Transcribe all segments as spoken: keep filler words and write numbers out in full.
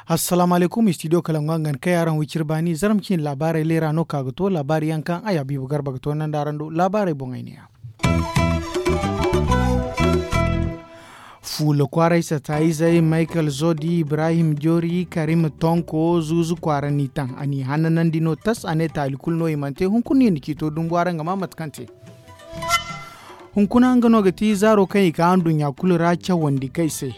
Assalaamu alaykum, istidiyo kalangu a ga ni kay araŋ wiciri baani zarma ciine laabaarey leera no ka ga to laabaari yaŋ kaŋ a ya biibo garba ga to nanda araŋ do laabaarey boŋey ne ya. Fuula kwaaray sataayizey michael zodi ibrahim jori karim tonko zuuzu kwaara n'i taŋ a n'i hannanandi no tas a ne taali kulu no i mana te hunkuna i na ciito dumbu araŋ ga maa mate kaŋ te. Hunkuna nga no ga ti zaaro kaŋ i ka anduɲɲa kulu ra cawandi kay se.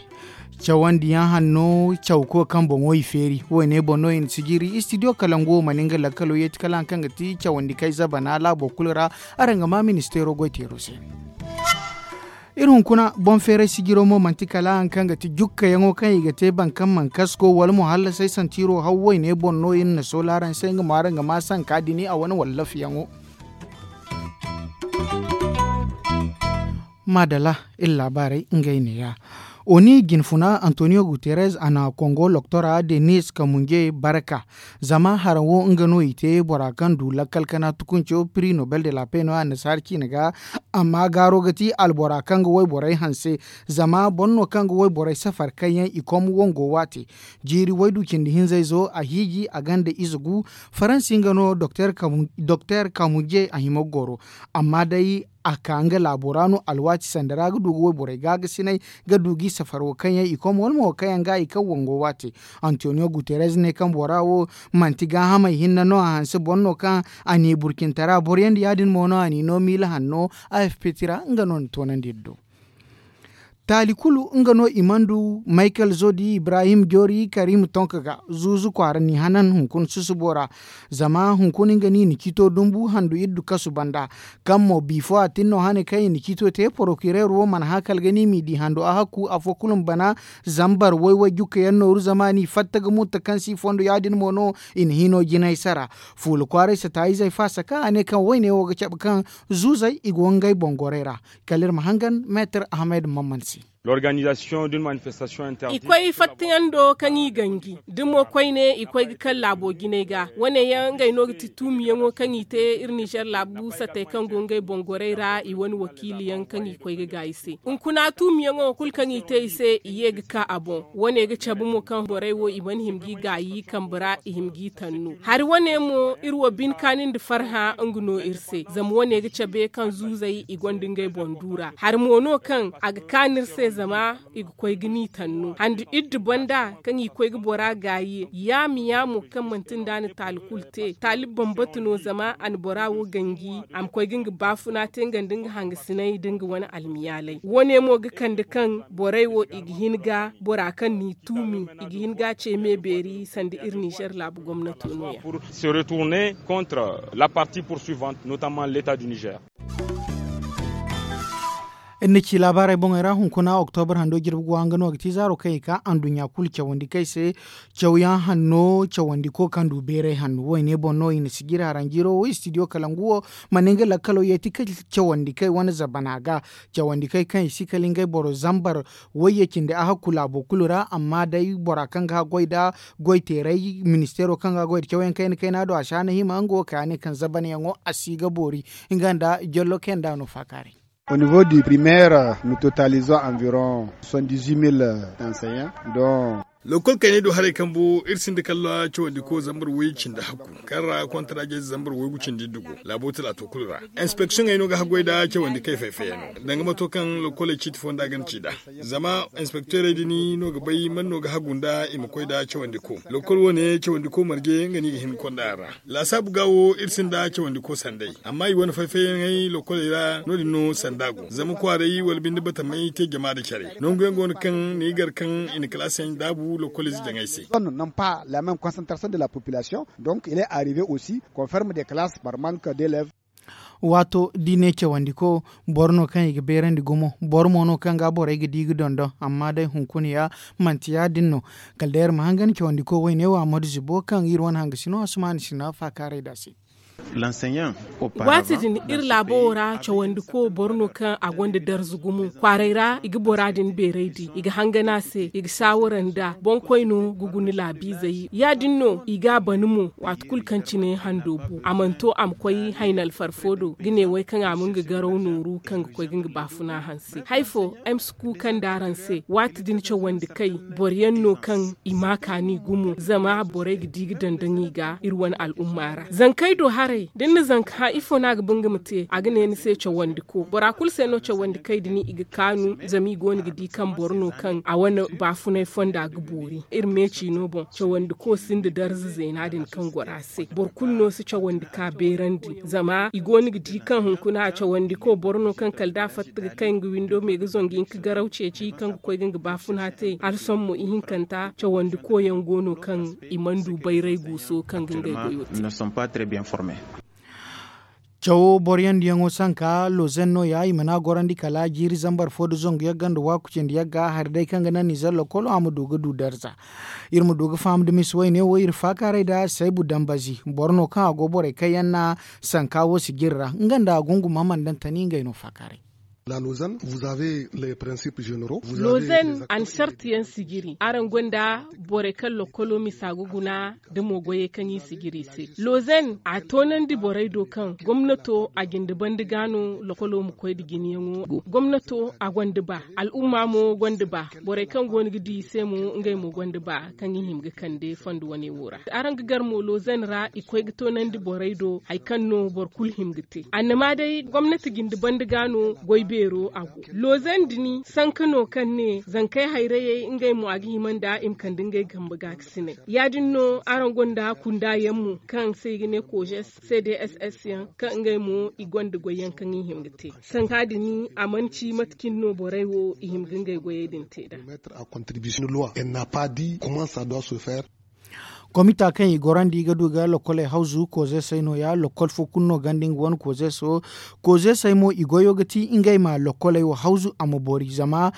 Cawandi yaŋ hanno cawko kaŋ boŋo i feeri wo- ne boŋ no i na sijiri istidiyo kalangu wo mana nga lakkalo yeeti kala haŋ kaŋ ga ti cawandi kay zabana laabo kulu ra. Araŋ ga maa ministeero goyteero se. Iri hunkuna boŋ feeray sijiro mo manti kala haŋ kaŋ ga ti jukkayaŋo kaŋ i ga te baŋ kaŋ mana kasko wala mo hallasay santiro haw wo- ne boŋ no iri na soolaaran se nga mo araŋ ga maa sanka dini a wane wallafiyaŋo. Maadala iri laabaarey ngey neeya. Oni jinfuna antonio guterres a na kongo loktora denis kamunje barka. Zama haraŋ wo nga no i te bora kaŋ du lakkal kana tukunco prix nobel de la paix no annasaara ciine ga. Amma gaaro ga ti albora kaŋ ga wayborey hanse. Zama boro no kaŋ ga wayborey safar kaŋ yaŋ i kom wango waate. Jiiri waydu cindi hinzayzo a hiiji a gonda ize gu. Faransi nga no doktor kamunje a hima ga goro. Amma day a ka nga laabo ra no alwaati sanda ra ga du ga wayborey gaagasinay ga du g'i safar wo kaŋ yaŋ i kom wala mo wo kaŋ yaŋ ga i kaŋ wango waate. Antonio guterres ne kaŋ bora wo manti gaahamey hinne no a hanse boro no kaŋ a n'i burcintara boro yaŋ da ya- din mo no a n'i no miila hanno. A f p tira nga no ni toonandi iri do. Taali kulu nga no i mana du michael zodi ibrahim jori karim tonka ga zuuzu kwaara n'i hanan hunkuna susubo ra. Zama hunkuna nga no i na ciito dumbu handu iri du kasu banda. Kaŋ mo bifo a tin no hane kaŋ i na ciito te porokireer wo mana haakal ga ni m'i di handu a hakku afo kulu ma bana. Zambar way-way jukka yaŋ nooru zama a n'i fatta ga mutta kaŋ si fondo ya- din mo no. I na hino jinay sara. Fuula kwaaray sataayizey faasa kaŋ a ne kaŋ wayne wo ga cabe kaŋ zuuzey i go ngey boŋ gorey ra. Kala iri ma hangan meetar ahmed mamman se. I koy fattayando kaŋ i ganji da mo koyne i koy ga kaŋ laabo jinay ga wane yaŋ ngey no ga ti tuumiyaŋo kaŋ i te iri nizer laabu sattey kaŋ go ngey boŋ gorey ra i wane wakiiliyaŋ kaŋ i koy ga gaayi se. Hunkuna tuumiyaŋo kulu kaŋ i te i se i ye ga ka a boŋ. Wane ga cabe mo kaŋ borey wo i mana hima g'i gaayi kambe ra i hima g'i tannu hari wane mo iri wo bine kaani nda farhã nga no iri se zama wane ga cabe kaŋ zuuzey i gonda ngey boŋ du ra hari mo no kaŋ a ga kaanu iri se zama i ga koy ga ni tannu handi iddu banda kaŋ i koy ga bora gaayi yaama yaamo kaŋ manti nda a na taali kulu te taali bambata no zama a na bora wo ganji a ma koy ga nga baafuna te nga nda nga hangasinay nda nga wane almiyaalay wane mo ga kande kaŋ borey wo i ga hin ga bora kaŋ n'i tuumi i ga hin ga a ce me beeri sanda iri nizer laabu gomnato no ya. Iri na ci laabaarey boŋey ra hunkuna oktobra hando jirbi go hanga no ga ti zaaro kaŋ i ka anduɲɲa kulu cawandi kaŋ ay se. Cawyaŋ hanno cawandiko kaŋ du beeray hanno wayne boŋ no i na si jiri haranjiiro wo istidiyo kalangu wo. Mana nga lakkalo yeeti ka cawandi kaŋ ay wane zabana ga cawandi kaŋ ay kaŋ i si kala ngey boro zambar wayye cindi a hakku laabo kulu ra amma day bora kaŋ ga haggoy nda goyteeray ministeero kaŋ ga goy nda cawyaŋ kayna kayna do a si a na hima nga wo kay a ne kaŋ zabanyaŋo a si ga boori. Nga nda jollo kaŋ yaŋ da a no faakaaray. Au niveau du primaire nous totalisons environ soixante dix huit mille enseignants dont. Lokol kayney do haray kambu iri sinda kala cawandiko zambar way cindi hakku kaŋ ra kontaraaje zambar way gu cindi dugu laabo talaato kulu ra. Inspeksiyoŋey no ga haggoy nda cawandi kay fay-fayyaŋo danga mato kaŋ lokoley ciiti fonda ga na ci nd'a. Zama inspekteerey din no ga bay man no ga hagu nda i ma koy nda cawandiko lokol wane cawandiko marje nga no i ga hin ga konda a ra. Laasaabu ga wo iri sinda cawandiko sanday amma i wane fay-fayyaŋey lokoley ra no- din no sanda go zama kwaaray wala binde batamey te jama nda care nangu yaŋ go no kaŋ ni gar kaŋ i na kalaasiyaŋ daabu lokolize jaŋay se. N'ont pas la même concentration de la population. Donc il est arrivé aussi qu'on ferme des classes par manque d'élèves. Waato da i ne cawandiko boro no kaŋ i ga beerandi gumo boro mo no kaŋ ga borey ga di ga dondon amma day hunkuna ya manti ya- din no. Kala day iri ma hangan cawandiko wayne wo ammadu zibo kaŋ iri wane hangasino asumaani sina faakaaray nd'a se. Waati din iri laabo wo ra cawandiko boro no kaŋ a gonda darza gumo kwaaray ra i ga bora din beeray di i ga hangan a se i ga saawara nd'a boŋkoy no ga guna laabiizey ya- din no i ga a ban mo. Waati kulu kaŋ cine hando bu a mana to a ma koy hayna alfarfo do ga ne way kaŋ a ma nga garaw nooru kaŋ ga koy ga nga baafuna hanse hari fo ay ma si kuuka nd'araŋ se waati din cawandi kay boro yaŋ no kaŋ i ma a kaani gumo zama borey ga di ga daŋ daŋ i ga iri wane al'umma ra zankey do haray da ni na zanka hã ifo no a ga ba nga ma te a ga ne ni se cawandi ko bora kulu se no cawandi kay din i ga kaanu zama i go no ga di kaŋ boro no kaŋ a wane baafunay fonda ga boori iri meeci no boŋ cawandi ko sinda darza zeena din kaŋ goro a se boro kulu no si cawandi ka beerandi zama i go no ga di kaŋ hunkuna cawandi ko boro no kaŋ kala da a fatta ga kay nga windo me ga zongu hinka garaw ceeci kaŋ ga koy ga nga baafuna te hala sohõ mo ihinkanta cawandi ko yaŋ go no kaŋ i mana du bayray guuso kaŋ ga ngey goyo te. Cawo boro yaŋ diyaŋo sanka lozen no- ya i mana gorandi kala jiiri zambar fo nda zangu yagga nda waaku cindi yagga hari day kaŋ ga naŋ nizer lokolo a ma du ga du darza. Iri ma du ga faham da misi wayne wo iri faakaaray nda saybu dambazi boro no kaŋ a go borey kaŋ yaŋ na sanka wo sijiri ra nga nda gunguma mana daŋ tani ngey no faakaaray. Lozen a na sarti yaŋ sijiri araŋ gonda borey kaŋ lokolo misa ga guna da mo goyey kaŋ i sijiri i se lozen a toonandi borey do kaŋ gomnato a jinde banda ga no lokolo ma koy nda jinayaŋo go gomnato a gonda ba al'umma mo gonda ba borey kaŋ go no ga di i se mo ngey mo gonda ba kaŋ i hima ga kande fondo wane wo ra araŋ ga gar mo lozen ra i koy ga toonandi borey do hari kaŋ no boro kulu hima ga te annama day gomnati jinde banda ga no goy beero a go lozen din sanka no kaŋ ne zankey hayrayey ngey mo a ga hima nda i ma kande ngey kambe ga ga sinay ya- din no araŋ gonda kunda yaŋ mo kaŋ se i ga ne kojes cdss yaŋ kaŋ ngey mo i gonda goy yaŋ kaŋ i hima ga te sanka din a mana ci mate cine no borey wo i hima ga ngey goyey din te nd'a. Komita kaŋ i gorandi ga du ga lokoley hawzu kozeesey no- ya lokol fo kulu no ganda nga wane kozeeso kozeesey mo i goyo ga ti ngey ma lokoley wo hawzu a ma boori zama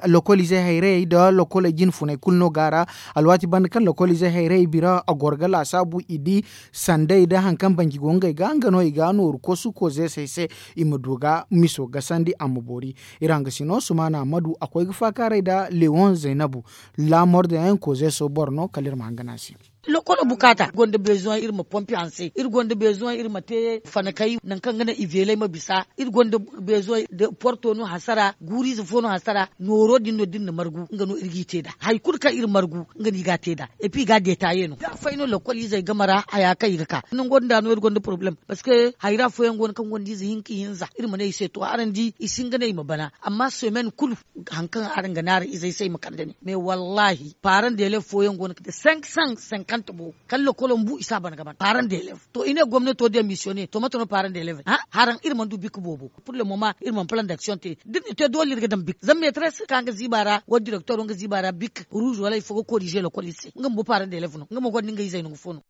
lokoliizey hayrayey nda lokoley jinfuney kulu no go a ra. Alwaati banda kaŋ lokolizey hayrayey bira a goro ga laasaabu i di sandey nda hari kaŋ banji go ngey ga nga no i ga nooru kosu kozeesey se i ma du ga miso gasandi a ma boori. Iri hangasino sumaana ammadu a koy ga faakaaray nda lewon zaynabu laamor da yaŋ kozeeso boro no kala iri ma hangan a se. Lokolo bukaata gonda beezoŋ iri ma pompi hanse iri gonda beezoŋ iri ma te fanakay nangu kaŋ ga naŋ i veelay ma bisa iri gonda beezoŋ da porto no hasara guuriize fo no hasara nooro din no da iri na margu nga no iri g'i te nd'a hari kulu kaŋ iri margu nga no i g'a te nd'a. Epi i g'a deetaaye no da afay no lokoliizey game ra haya kaŋ i ga ka nango din da no iri gonda porobalem. Parceque hayra fooyaŋ go no kaŋ gonda ize hinka ihinza iri ma ne i se to araŋ di i si hin ga ne i ma bana amma semen kulu hari kaŋ araŋ ga ne araŋ izey se i ma kande ne mais wallaahi paaraŋ deelev fooyaŋ go no kaŋ cinq cent cinquante bo kala lokolo ma bu i si a bana ga bana paaraŋ deelev. To i ne gomnato demisiyone to mate no paaraŋ deelev ne haraŋ iri mana du bik boobo. Pur le moma iri mana plan daksiyoŋ te da iri na te doole iri ga daŋ bik zama meetres ka nga ziiba ra wala direktoro nga ziiba ra bik ruuz wala hari fo ga korize lokol iri se nga bumbo paaraŋ deelev no nga mo gonda nga izey nangu fo no.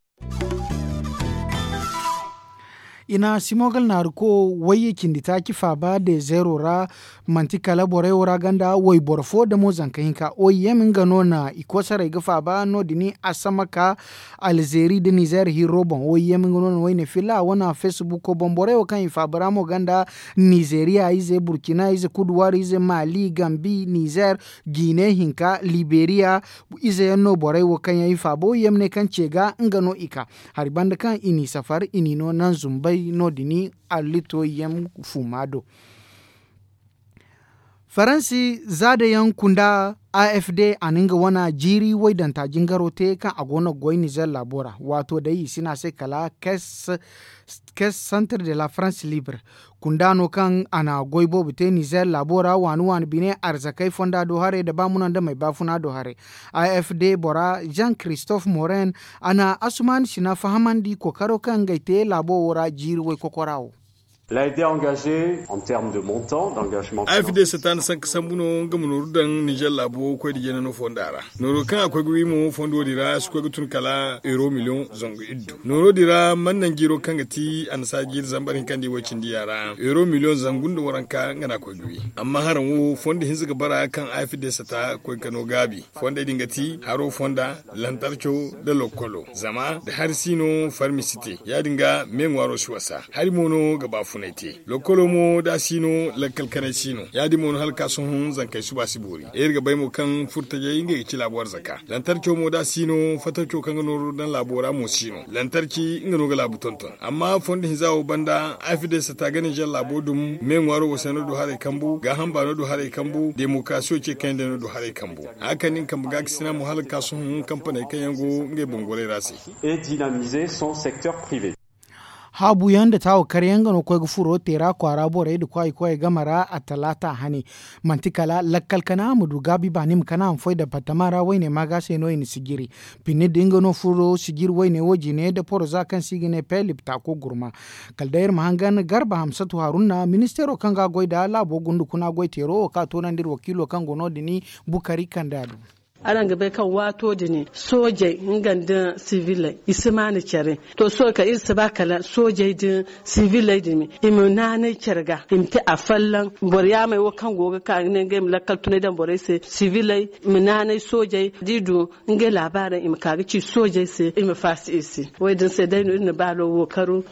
I na simogal naaru ko wayye cindi taaci faaba dezeero ra. Manti kala borey wo ra ganda wayboro fo damo zanka hinka oim nga no na i koosarey ga faaba no- din a sama ka alzeeri nda nizeer hirro boŋ oim nga no na wayne filla a wane feesibuko boŋ borey wo kaŋ i faaba ra mo ganda nizeeriya ize burkina ize kuduwaar ize maali gambi nizeer jiine hinka liberiya. Ize yaŋ no borey wo kaŋ yaŋ i faaba oim ne kaŋ ce ga nga no i ka hari banda kaŋ i n'i safar i n'i no naŋ zumbey no- din allito yaŋ fuuma do. Faransi zaada yaŋ kunda a f d a na nga wane jiiri waydanta jingaro te kaŋ a go no ga goy nizer laabo ra waato day i si ne a se kala kes santre de la france libre. Kunda no kaŋ a na goy boobo te nizer laabo ra waani waani bine arzakey fonda do haray nda ba muna nda may baafuna do haray. A f d bora jean christophe morin a na asuman sina fahamandi kookaro kaŋ ngey te laabo wo ra jiiri waykokora wo. L a été engagé en terme de montant d'engagement. Ay fi de sata na sanka sambu no nga ma nooru daŋ nizer laabo koy da jeena no fonda ra. Nooro kaŋ a koy ga wi mo fondo din ra si koy ga tun kala euro miliyoŋ zangu iddu. Nooro din ra man naŋ jiiro kaŋ ga ti annasaara jiiri zambar hinka nda iway cindi yaŋ ra euro miliyoŋ zangu nda waranka nga no a koy ga wi. Amma haraŋ wo fondo hinza ga bara kaŋ ay fi de sata koy ga no gaabi. Fondey din ga ti haro fonda, lantarco nda lokkolo zama da hari si no farmi si te. Ya- din ga me ŋwaaro si wasa. Hari mo no ga baafunay te. Lokkolo mo da a si no lakkal kanay si no. Ya- din mo no hala ka sohõ zankey suba si boori. Iri ga bay mo kaŋ furtajey ngey ga ci laabo arzaka. Lantarco mo da a si no fatarco kaŋ ga nooru daŋ laabo ra mo si no. Lantarci nga no ga laabu tonton. Amma fondo hinza wo banda ay fi de sata ga nizer laabo dum me ŋwaaro wasay no du haray kambu gaaham baano du haray kambu demokarasiyo ce kaŋ yaŋ day no du haray kambu. Haya kaŋ ni ga kambe ga ga sina mo hala ga ka sohõ kampaney kaŋ yaŋ go ngey boŋ goray ra se. Et dynamiser son secteur privé. Haabu yaŋ nda taawo kar yaŋ nga no koy ga furo teera kwaara borey nda kwaayi koyey game ra attalaata hane. Manti kala lakkal kana a ma du gaabi baani ma kana a ma foy dapartama ra wayne maaga se no i na sijiri. Pinni din nga no furo sijiri wayne wo jine nda poroza kaŋ se i ga ne pelip taako gurma. Kala day iri ma hangan garba hamsatu haruna ministeero kaŋ ga a goy nda laabo gunda kuna goy teero wo kaŋ a toonandi iri wakiilo kaŋ go no- din bukari kande a du. Araŋ ga bay kaŋ waato din soojey nga nda siviley i si maana care. To sohõ kaŋ iri si ba kala soojey din siviley din i ma naanay care ga i ma te afolloŋ. Boro yaamey wo kaŋ go ga ka ga ne ngey ma lakkal tunay daŋ borey se siviley ma naanay soojey da i du ngey laabaarey i ma ka ga ci soojey se i ma faasi i se. Wo- din se day no iri na baalo wo karu.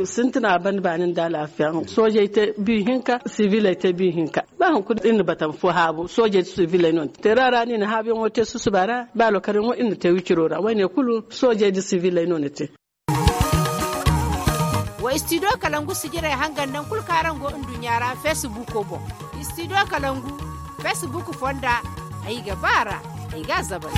Sintina a banda baani nda alaafiya. Soojey te bi hinka siviley te bi hinka. Ba hunkuna iri na batama fo haabu soojey da siviley no ni te teera ra no i na haabuyaŋo te susuba ra ba lokaryaŋo iri na te wiciro ra wayne kulu soojey da siviley no ni te. Wa istidiyo kalangu sijirey hangan nangu kulu kaŋ araŋ go nduɲɲa ra feesibuuko boŋ. Istidiyo kalangu feesibuuku fonda ay ga ba a ra. Ay ga a zabay.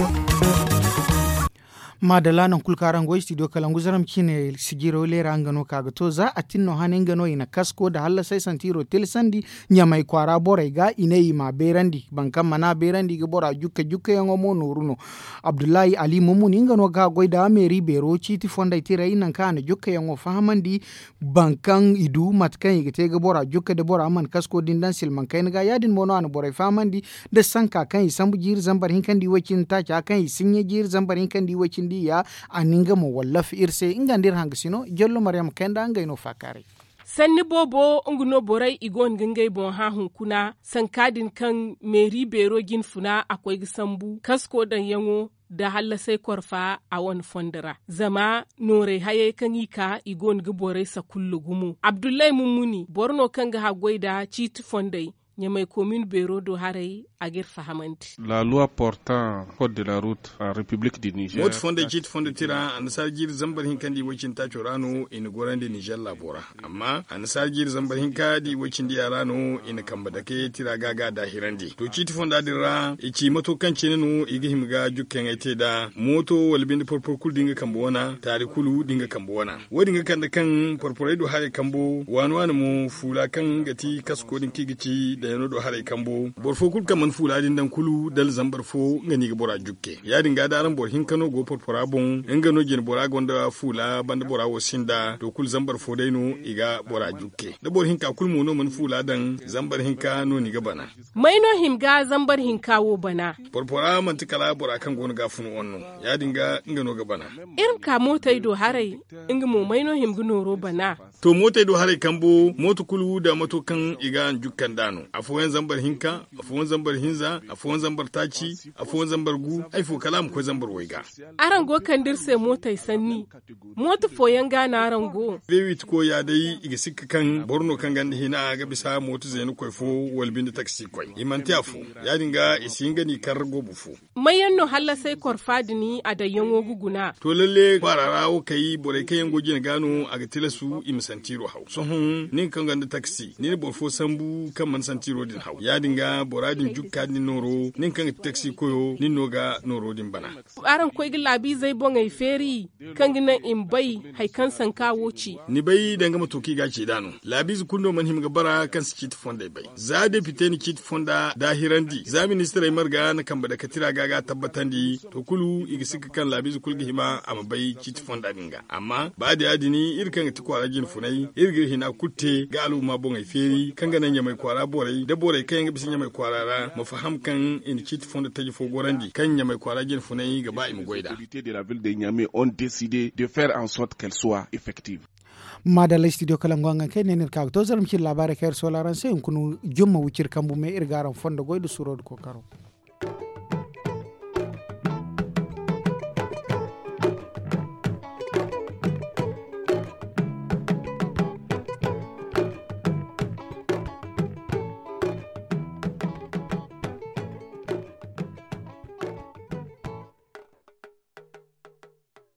Maadalla nangu kulu kaŋ araŋ go istidiyo kalangu zaram ciine sijiro leera nga no ka ga to za a tin no hane nga no i na kasko nda hallasay santiro tilsandi. Ɲamay kwaara borey ga i ne i m'a beerandi boro kaŋ mana beerandi i ga bora jukke jukkeyaŋo mo nooru no. Abdullahi ali mummuni nga no ga a goy nda meeri beero ciiti fondey tiray nangu kaŋ a na jukkeyaŋo fahamandi. Boro kaŋ i du mate kaŋ i ga te ga bora jukke nda bora mana kasko din daŋ silmaŋ kayna ga ya- din mo no a na borey fahamandi. Nda sanka kaŋ i sambu jiiri zambar hinka nda i way cindi taaca kaŋ i sinɲe jiiri zambar hinka nda i way cindi ya. A na nga mo wallafi iri se nga nda iri hangasino jallo maryama kayna ngey no faakaaray. Sanni boobo nga no borey i go no ga ngey boŋ hã hunkuna sanka din kaŋ meeri beero jinfuna a koy ga sambu kasko daŋyaŋo nda hallasay korfa a wane fondo ra zama noorey hayey kaŋ i ka i go no ga borey sakulla gumo abdullahi mummuni boro no kaŋ ga haggoy nda ciiti fondey. Ɲamay komin beero do haray a ga iri fahamandi. Laaluwa portaŋ kod de la ruut a repiblik di nizer. Mooto fondey ciiti fondo tira annasaara jiiri zambar hinka nda i way cindi taaco ra no i na gorandi nizer laabo ra. Amma annasaara jiiri zambar hinka nda i way cindi ya ra no i na kambe dake tira ga ga daahirandi to ciiti fonda din ra i ci mato kaŋ cine no i ga hima ga jukkayaŋey te nd'a mooto wala binde porporo kulu da nga kambe wana taari kulu da nga kambe wana. Wo- din ga kande kaŋ porporey du haray kambo waani waani mo fuula kaŋ ga ti kasko din kaŋ i ga ci dayano du haray kambo boro fo kulu kaŋ mana fuula din daŋ kulu dala zambar fo nga no i ga bora jukke. Ya- din ga da araŋ boro hinka no go porpora boŋ nga no jine bora gonda fuula banda bora wo sinda to kulu zambar fo day no i ga bora jukke da boro hinka kulu mo no mana fuula daŋ zambar hinka no ni ga bana. May no hima ga zambar hinka wo bana? Porpora manti kala bora kaŋ go no ga fun wan no. Ya- din ga nga no ga bana. Iri ma ka mootey do haray. Nga mo may no hima ga nooro bana? To mootey do haray kambo mooto kulu da mato kaŋ i ga a jukka nd'a no afooyaŋ zambar hinka, afooyaŋ zambar hinza, afooyaŋ zambar taaci, afooyaŋ zambar gu, hari fo kala a ma koy zambar way ga. Araŋ go ga kande iri se mootey sanni. Mooto fooyaŋ ga no araŋ go. Beewiti koy ya day i ga sikka kaŋ boro no kaŋ gonda hina ga bisa mooto zeenakoy fo wala binde taksi koy i manti afo. Ya- din ga i si hin ga n'i kar goobu fo. May yaŋ no hallasay korfa din a dayyaŋo ga guna? To lalle kwaara ra wo kay borey kaŋ yaŋ go jine ga no a ga tilasu i ma santiiro haw sohõ nin kaŋ gonda taksi ni na boro fo sambu kaŋ mana santi. Tiro din haw ya- din ga bora din jukka din nooro nin kaŋ ga ti taksi koyo nin no ga nooro din bana. Araŋ koy ga laabiizey boŋey feeri kaŋ ga naŋ i ma bay hari kaŋ sanka wo ci. Ni bay danga mato kaŋ i ga a ci nd'a no. Laabiize kulu no mana hima ga bara kaŋ si ciiti fondey bay. Za depite na ciiti fonda daahirandi za ministirey marga na kambe dakatira ga ga a tabbatandi. To kulu i ga sikka kaŋ laabiize kulu ga hima a ma bay ciiti fonda din ga. Amma ba da ya- din iri kaŋ ga ti kwaara jinfunay iri ga iri hina kulu te ga alhuma boŋey feeri kaŋ ga naŋ ɲamay kwaara borey nda borey kaŋ yaŋ ga bisa ɲamay kwaara ra ma faham kaŋ i na ciiti fondo taji fo gorandi kaŋ ɲamay kwaara jinfunay ga ba i ma goy nd'a. De la ville de ɲame ont décidé de faire en sorte qu'elle soit effective. Maadalla studio kalangu haŋ kaŋ ay ne ni iri ka ga to zarma cine laabaarey kaŋ iri soola araŋ se hunkuna jumma wiciri kambu me iri ga araŋ fondo goy nda suro nda kookaro.